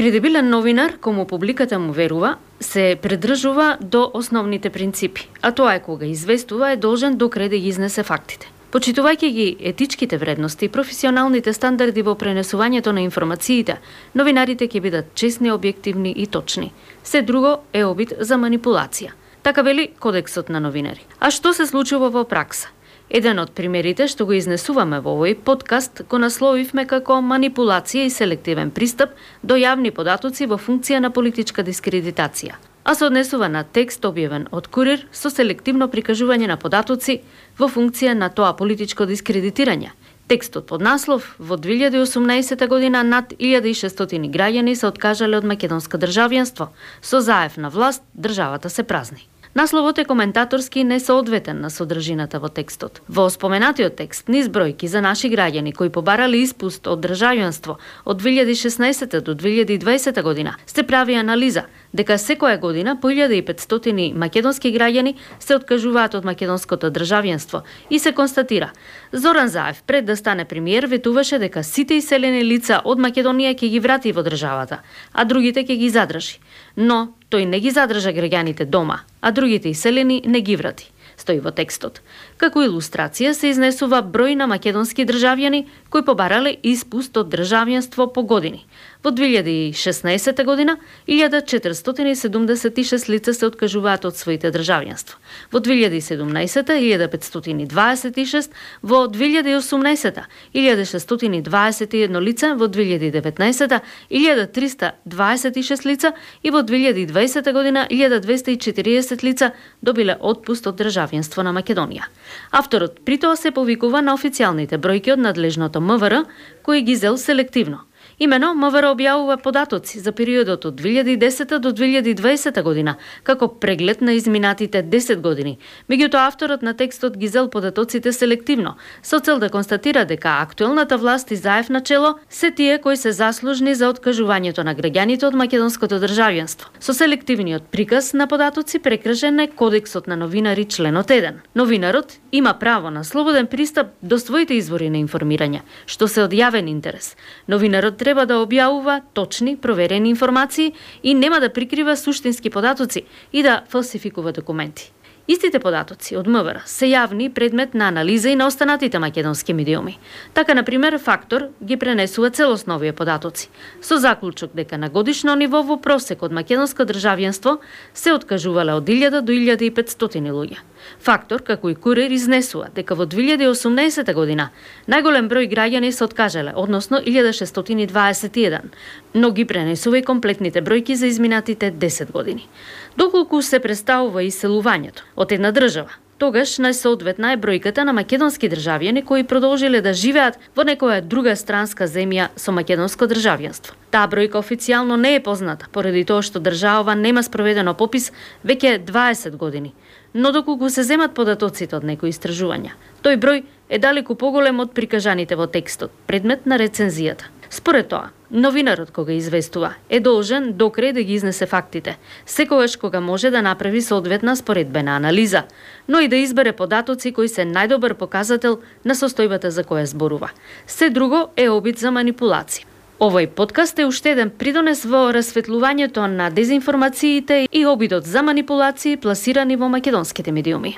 Кредибилен новинар, кому публиката му верува, се придржува до основните принципи, а тоа е кога известува е должен докрај да ги изнесе фактите. Почитувајќи ги етичките вредности и професионалните стандарди во пренесувањето на информациите, новинарите ќе бидат честни, објективни и точни. Се друго е обид за манипулација. Така вели Кодексот на новинари. А што се случува во пракса? Еден од примерите што го изнесуваме во овој подкаст го насловивме како манипулација и селективен пристап до јавни податоци во функција на политичка дискредитација. А се однесува на текст објавен од Курир со селективно прикажување на податоци во функција на тоа политичко дискредитирање. Текстот под наслов: во 2018 година над 1600 граѓани се откажале од македонско државјанство. Со заев на власт државата се празни. Насловот е коментаторски и несоодветен на содржината во текстот. Во споменатиот текст низ бројки за наши граѓани кои побарале испуст од државјанство од 2016 до 2020 година се прави анализа дека секоја година по 1500 македонски граѓани се откажуваат од македонското државјанство и се констатира: Зоран Заев пред да стане премиер ветуваше дека сите иселени лица од Македонија ќе ги врати во државата, а другите ќе ги задржи. Но тој не ги задржа граѓаните дома, а другите иселени не ги врати, стои во текстот. Како илустрација се изнесува број на македонски државјани кои побарале испуст од државјанство по години. Во 2016 година 1476 лица се откажуваат од своите државјанства. Во 2017 1526, во 2018 1621 лица, во 2019 1326 лица и во 2020 година 1240 лица добиле отпуст од државјанство на Македонија. Авторот при тоа се повикува на официјалните бројки од надлежното МВР, кои ги зел селективно. Имено, МВР објавува податоци за периодот од 2010 до 2020 година, како преглед на изминатите 10 години. Меѓутоа, авторот на текстот ги зел податоците селективно, со цел да констатира дека актуелната власт и Заев начело се тие кои се заслужни за откажувањето на граѓаните од македонското државјанство. Со селективниот приказ на податоци прекршен е Кодексот на новинари членот 1. Новинарот има право на слободен пристап до своите извори на информирање, што се од јавен интерес. Новинарот треба да објавува точни, проверени информации и нема да прикрива суштински податоци и да фалсификува документи. Истите податоци од МВР се јавни предмет на анализа и на останатите македонски медиуми. Така, например, Фактор ги пренесува целосно овие податоци, со заклучок дека на годишно ниво во просек од македонско државјанство се откажувале од 1000 до 1500 луѓе. Фактор, како и Курир, изнесува дека во 2018 година најголем број граѓани се откажале, односно 1621, но ги пренесува и комплетните бројки за изминатите 10 години. Доколку се представува иселувањето од една држава, тогаш најсоодветна е бројката на македонски државјани кои продолжиле да живеат во некоја друга странска земја со македонско државјанство. Таа бројка официјално не е позната, поради тоа што државава нема спроведено попис веќе 20 години. Но доколку се земат податоците од некои истражувања, тој број е далеку поголем од прикажаните во текстот, предмет на рецензијата. Според тоа, новинарот кога известува е должен докрај да ги изнесе фактите, секогаш кога може да направи соодветна споредбена анализа, но и да избере податоци кои се најдобар показател на состојбата за која зборува. Се друго е обид за манипулација. Овој подкаст е уште еден придонес во расветлувањето на дезинформациите и обидот за манипулации пласирани во македонските медиуми.